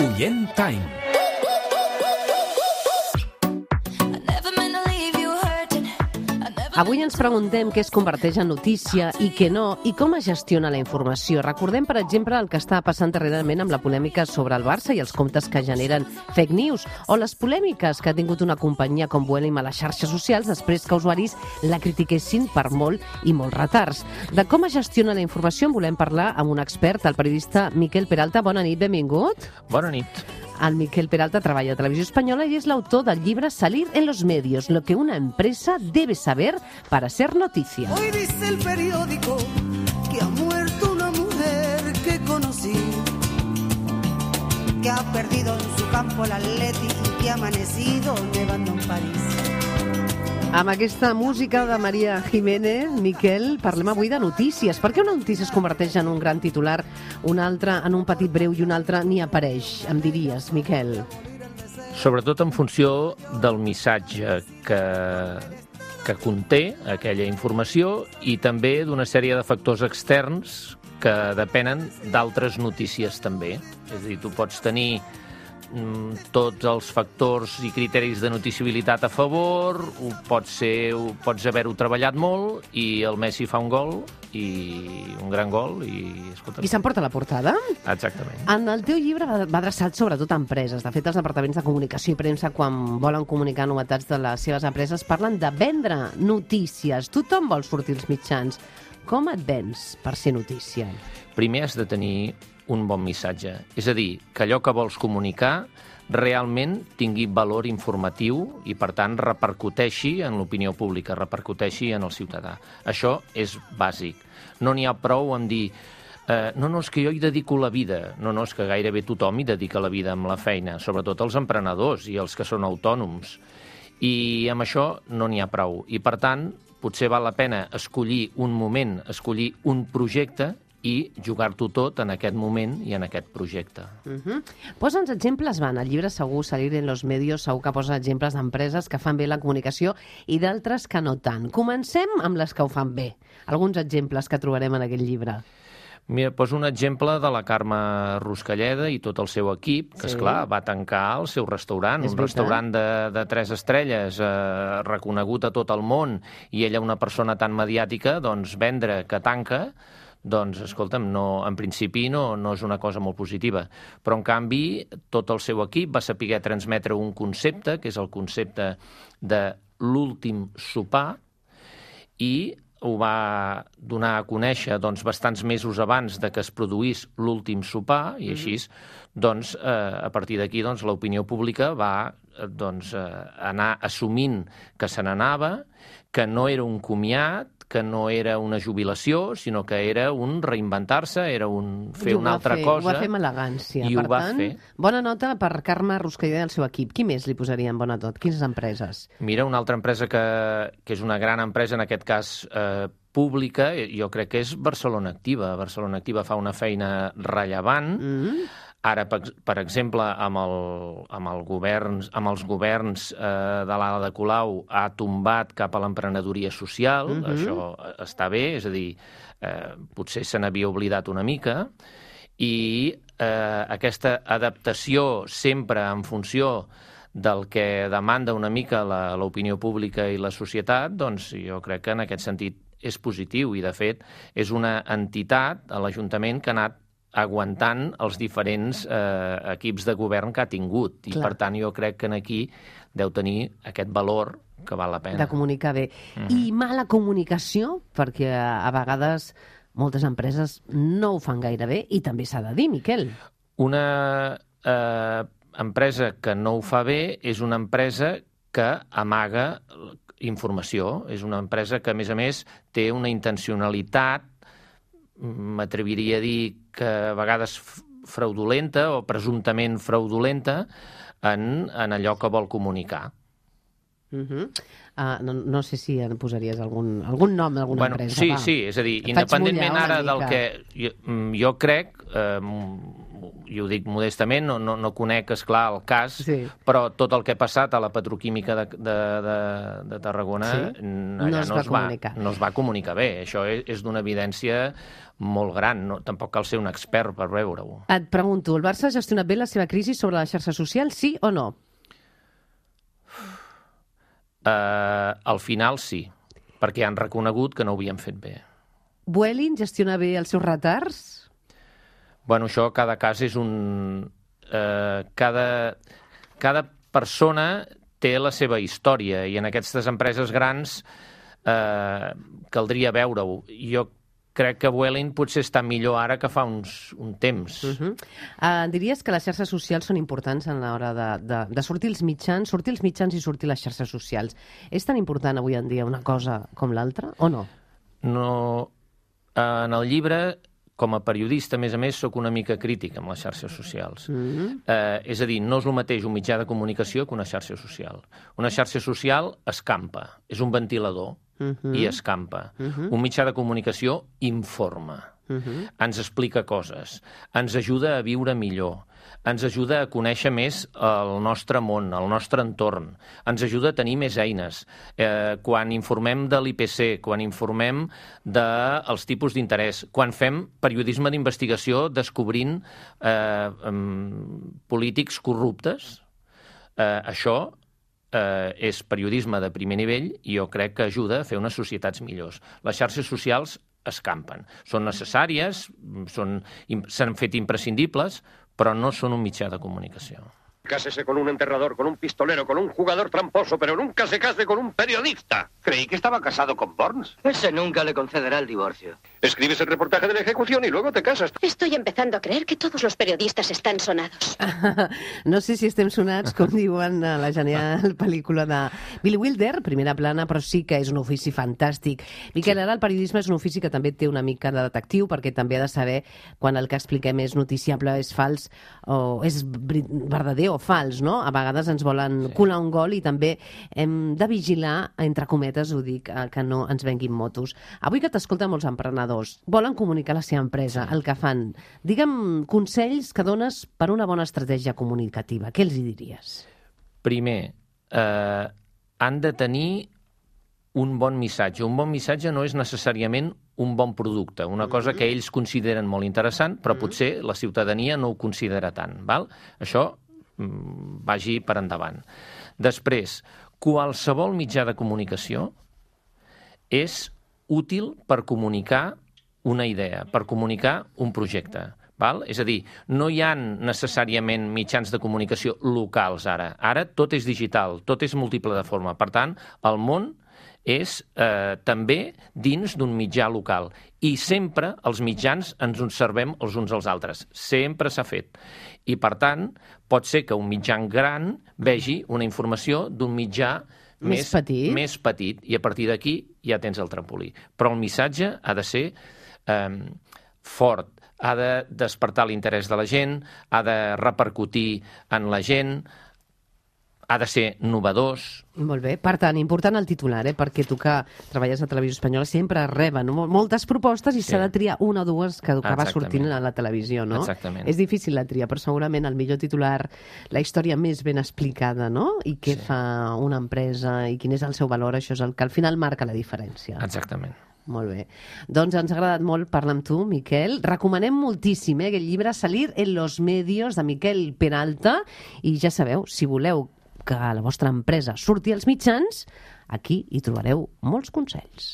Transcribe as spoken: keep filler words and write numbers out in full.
Oient Time. Avui ens preguntem què es converteix en notícia i què no, i com es gestiona la informació. Recordem, per exemple, el que està passant darrerament amb la polèmica sobre el Barça i els comptes que generen fake news, o les polèmiques que ha tingut una companyia com Vueling a les xarxes socials després que usuaris la critiquessin per molt i molts retards. De com es gestiona la informació en volem parlar amb un expert, el periodista Miquel Peralta. Bona nit, benvingut. Bona nit. El Miquel Peralta treballa a Televisió Espanyola i és l'autor del llibre Salir en los medios, lo que una empresa debe saber para ser noticia. Hoy dice el periódico que ha muerto una mujer que conocí, que ha perdido en su campo el Atleti y que ha amanecido nevando en París. Amb aquesta música de María Jiménez, Miquel, parlem avui de notícies. Per què una notícia es converteix en un gran titular, una altra en un petit breu i una altra ni apareix? Em diries, Miquel. Sobretot en funció del missatge que, que conté aquella informació i també d'una sèrie de factors externs que depenen d'altres notícies també. És a dir, tu pots tenir tots els factors i criteris de noticiabilitat a favor, pots, ser, pots haver-ho treballat molt i el Messi fa un gol, i un gran gol, i... Escolta, I s'emporta la portada? Exactament. En el teu llibre va adreçat sobretot a empreses. De fet, els departaments de comunicació i premsa, quan volen comunicar novetats de les seves empreses, parlen de vendre notícies. Tothom vol sortir als mitjans. Com et vens per ser notícia? Primer has de tenir un bon missatge. És a dir, que allò que vols comunicar realment tingui valor informatiu i, per tant, repercuteixi en l'opinió pública, repercuteixi en el ciutadà. Això és bàsic. No n'hi ha prou en dir eh, no, no, és que jo hi dedico la vida. No, no, és que gairebé tothom hi dedica la vida amb la feina, sobretot els emprenedors i els que són autònoms. I amb això no n'hi ha prou. I, per tant, potser val la pena escollir un moment, escollir un projecte i jugar-t'ho tot en aquest moment i en aquest projecte. Uh-huh. Posa'ns exemples, van, al llibre segur, Salir en los medios, segur que posa exemples d'empreses que fan bé la comunicació i d'altres que no tant. Comencem amb les que ho fan bé. Alguns exemples que trobarem en aquest llibre. Mira, poso un exemple de la Carme Ruscalleda i tot el seu equip, que, sí. esclar, va tancar el seu restaurant, és un restaurant de, de tres estrelles, eh, reconegut a tot el món, i ella, una persona tan mediàtica, doncs vendre que tanca, doncs, escolta'm, no, en principi no, no és una cosa molt positiva. Però, en canvi, tot el seu equip va saber transmetre un concepte, que és el concepte de l'últim sopar, i ho va donar a conèixer doncs, bastants mesos abans de que es produís l'últim sopar, i així, doncs, eh, a partir d'aquí, doncs, l'opinió pública va doncs, eh, anar assumint que se n'anava, que no era un comiat, que no era una jubilació, sinó que era un reinventar-se, era un fer una altra fer, cosa. Ho va fer amb elegància. I per ho va tant, fer. Bona nota per Carme Ruscalleda i el seu equip. Qui més li posaria en bona tot? Quines empreses? Mira, una altra empresa que, que és una gran empresa, en aquest cas eh, pública, jo crec que és Barcelona Activa. Barcelona Activa fa una feina rellevant. Mm-hmm. Ara, per, per exemple, amb, el, amb, el governs, amb els governs eh, de l'Ala de Colau ha tombat cap a l'emprenedoria social. Mm-hmm. Això està bé, és a dir, eh, potser se n'havia oblidat una mica, i eh, aquesta adaptació sempre en funció del que demanda una mica la, l'opinió pública i la societat, doncs jo crec que en aquest sentit és positiu, i de fet és una entitat, a l'Ajuntament, que ha anat aguantant els diferents eh, equips de govern que ha tingut. I, Clar. per tant, jo crec que aquí deu tenir aquest valor que val la pena. De comunicar bé. Mm-hmm. I mala comunicació, perquè a vegades moltes empreses no ho fan gaire bé, i també s'ha de dir, Miquel. Una eh, empresa que no ho fa bé és una empresa que amaga informació. És una empresa que, a més a més, té una intencionalitat, m'atreviria a dir que a vegades fraudulenta o presumptament fraudulenta en, en allò que vol comunicar. Uh-huh. uh, no, no sé si en posaries algun, algun nom d'alguna bueno, empresa. Sí, va. sí, és a dir, Et independentment ara mica. del que... Jo, jo crec, eh, i ho dic modestament, no, no, no conec, esclar, el cas, sí. però tot el que ha passat a la petroquímica de, de, de, de Tarragona sí. allà no, es no, va es va, no es va comunicar bé. Això és, és d'una evidència molt gran, no? Tampoc cal ser un expert per veure-ho. Et pregunto, el Barça ha gestionat bé la seva crisi sobre la xarxa social, sí o no? Uh, al final sí, perquè han reconegut que no ho havien fet bé. Vueling gestiona bé els seus retards? Bueno, això cada cas és un... Eh, cada, cada persona té la seva història i en aquestes empreses grans eh, caldria veure-ho. Jo crec que Vueling potser està millor ara que fa uns, un temps. Uh-huh. uh, diries que les xarxes socials són importants a l'hora de, de, de sortir els mitjans, sortir els mitjans i sortir les xarxes socials. És tan important avui en dia una cosa com l'altra o no? No... En el llibre, com a periodista, a més a més, sóc una mica crític amb les xarxes socials. Mm-hmm. eh, és a dir, no és el mateix un mitjà de comunicació que una xarxa social. Una xarxa social escampa, és un ventilador mm-hmm. i escampa. Mm-hmm. Un mitjà de comunicació informa, mm-hmm. ens explica coses, ens ajuda a viure millor, ens ajuda a conèixer més el nostre món, el nostre entorn, ens ajuda a tenir més eines. Eh, quan informem de l'I P C, quan informem dels tipus d'interès, quan fem periodisme d'investigació descobrint eh, um, polítics corruptes, eh, això eh, és periodisme de primer nivell i jo crec que ajuda a fer unes societats millors. Les xarxes socials escampen. Són necessàries, són, s'han fet imprescindibles, però no són un mitjà de comunicació. Cásese con un enterrador, con un pistolero, con un jugador tramposo, pero nunca se case con un periodista. Creí que estaba casado con Burns. Ese nunca le concederá el divorcio. Escribes el reportaje de la ejecución y luego te casas. Estoy empezando a creer que todos los periodistas están sonados. No sé si estem sonats, com diuen a la genial pel·lícula de Billy Wilder, primera plana, però sí que és un ofici fantàstic. Miquel, ara el periodisme és un ofici que també té una mica de detectiu, perquè també ha de saber quan el que expliquem és noticiable, és fals, o és verdader o fals, no? A vegades ens volen sí. colar un gol i també hem de vigilar, entre cometes, ho dic, que no ens venguin motos. Avui que t'escolten molts emprenedors, volen comunicar la seva empresa, sí. el que fan. Digue'm consells que dones per una bona estratègia comunicativa. Què els hi diries? Primer, eh, han de tenir un bon missatge. Un bon missatge no és necessàriament un bon producte, una cosa que ells consideren molt interessant, però potser la ciutadania no ho considera tant. Val? Això vagi per endavant. Després, qualsevol mitjà de comunicació és útil per comunicar una idea, per comunicar un projecte. Val? És a dir, no hi ha necessàriament mitjans de comunicació locals ara. Ara tot és digital, tot és múltiple de forma. Per tant, el món és eh, també dins d'un mitjà local. I sempre els mitjans ens observem els uns als altres. Sempre s'ha fet. I, per tant, pot ser que un mitjà gran vegi una informació d'un mitjà més, més, petit. més petit i a partir d'aquí ja tens el trampolí. Però el missatge ha de ser eh, fort, ha de despertar l'interès de la gent, ha de repercutir en la gent, ha de ser novedós. Molt bé. Per tant, important el titular, eh? Perquè tu que treballes a Televisió Espanyola sempre reben moltes propostes i s'ha sí. de triar una o dues que, que va sortint a la televisió, no? Exactament. És difícil la tria, però segurament el millor titular, la història més ben explicada, no? I què sí. fa una empresa i quin és el seu valor, això és el que al final marca la diferència. Exactament. Molt bé. Doncs ens ha agradat molt parlar amb tu, Miquel. Recomanem moltíssim eh, aquest llibre Salir en los medios, de Miquel Peralta. I ja sabeu, si voleu que la vostra empresa surti als mitjans, aquí hi trobareu molts consells.